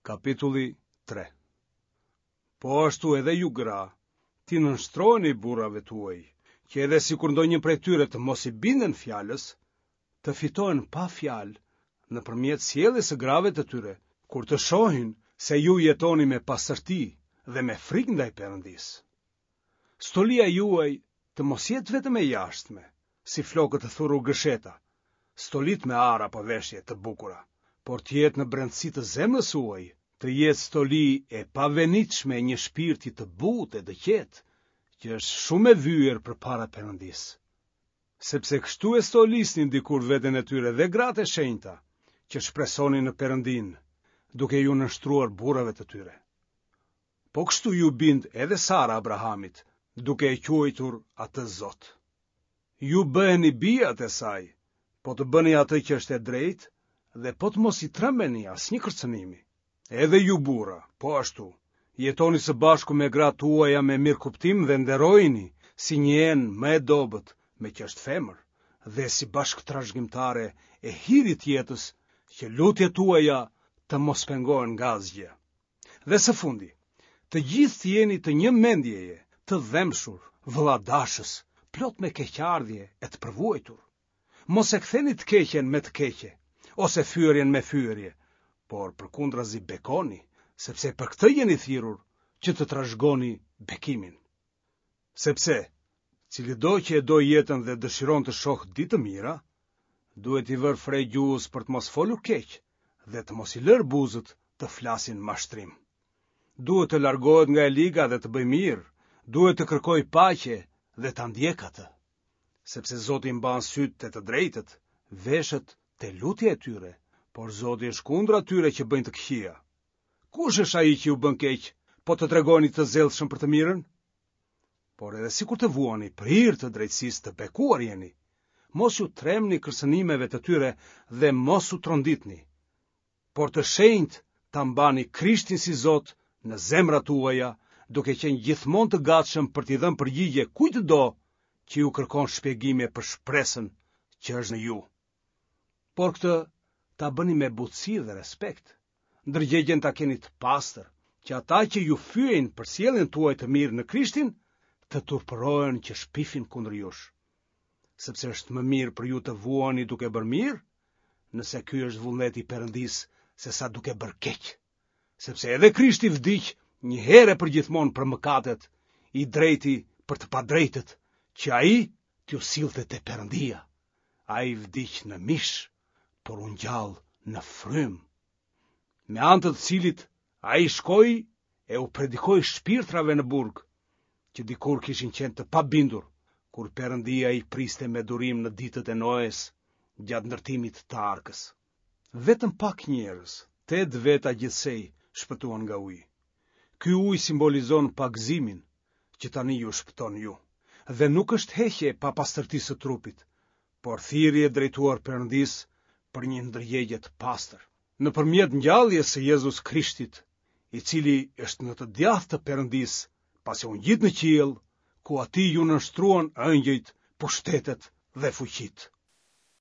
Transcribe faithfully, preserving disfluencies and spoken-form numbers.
Kapitulli tre. Po ashtu edhe ju gra, t'i nënshtroheni burrave tuaj, që edhe sikur ndonjë prej tyre të mos i binden fjalës, të fitohen pa fjalë nëpërmjet sjelljes së grave të tyre, kur të shohin se ju jetoni me pastërti dhe me frikë ndaj Perëndisë. Stolia juaj të mos jetë vetëm e jashtme, si flokët të thurur gërsheta, stolitë me ar apo veshje të bukura, por të jetë në brendësi të zemrës suaj, të jetë stoli e pavenitshme e një shpirti të butë e të qetë, që është shumë e vyer përpara Perëndisë. Sepse kështu e stolisnin dikur veten e tyre dhe gratë e shenjta, që shpresonin në Perëndinë, duke iu nënshtruar burrave të tyre. Po kështu iu bind edhe Sara Abrahamit, duke e quajtur atë Zot. Ju bëheni bijat e saj, po të bëni atë që është e drejtë dhe po të mos i trembeni asnjë kërcënimi. Edhe ju burra, po ashtu, jetoni së bashku me gratë tuaja me mirëkuptim dhe nderojini si një enë më e dobët, meqë është femër, dhe si bashkëtrashëgimtare e hirit të jetës, që lutjet tuaja të mos pengohen nga asgjë. Dhe së fundi, të gjithë të jeni të një mendjeje, të dhembshur, vëlladashës, plot me keqardhje e të përvuajtur. Mos e ktheni të keqen me të keqe, ose fyerjen me fyerje, por përkundrazi bekoni, sepse për këtë jeni thirrur, që të trashëgoni bekimin. Sepse, cilido që e do jetën dhe dëshiron të shohë ditë të mira, duhet t'i vërë fre gjuhës për të mos folur keq dhe të mos i lërë buzët të flasin mashtrim. Duhet të largohet nga e liga dhe të bëjë mirë, duhet të kërkojë paqe dhe ta ndjekë atë. Sepse Zoti mban sytë te të drejtët, veshët te lutja e tyre, por Zoti është kundër atyre që bëjnë të këqija. Kush është ai që ju bën keq, po të tregoheni të zellshëm për të mirën? Por edhe sikur të vuani për hir të drejtësisë, të bekuar jeni. Mos iu trembni kërcënimeve të tyre dhe mos u tronditni. Por të shenjtë ta mbani Krishtin si Zot në zemrat tuaja, duke qenë gjithmonë të gatshëm për t'i dhënë përgjigje kujtdo që ju kërkon shpjegime për shpresën që është në ju. Por këtë ta bëni me butësi dhe respekt. Ndërgjegjen ta keni të pastër, që ata që ju fyejnë për sjelljen tuaj të mirë në Krishtin, të turpërohen që shpifin kundër jush. Sepse është më mirë për ju të vuani duke bërë mirë, nëse ky është vullneti i Perëndisë, sesa duke bërë keq. Sepse edhe Krishti vdiq një herë e përgjithmonë për mëkatet, i drejti për të padrejtët, që ai t'ju sillte te Perëndia. Ai vdiq në mish, por u ngjall në frymë, me anë të të cilit ai shkoi e u predikoi shpirtrave në burg, që dikur kishin qenë të pabindur, kur Perëndia i priste me durim në ditët e Noes gjatë ndërtimit të arkës. Vetëm pak njerëz, tetë veta gjithsej, shpëtuan nga uji. Ky ujë simbolizon pagëzimin, që tani ju shpëton ju, dhe nuk është heqje e papastërtisë së trupit, por thirrje drejtuar Perëndisë për një ndërgjegje të pastër, nëpërmjet ngjalljes së Jezus Krishtit, i cili është në të djathtë të Perëndisë, pasi u ngjit në qiell, ku atij iu nënshtruan engjëjt, pushtetet dhe fuqitë.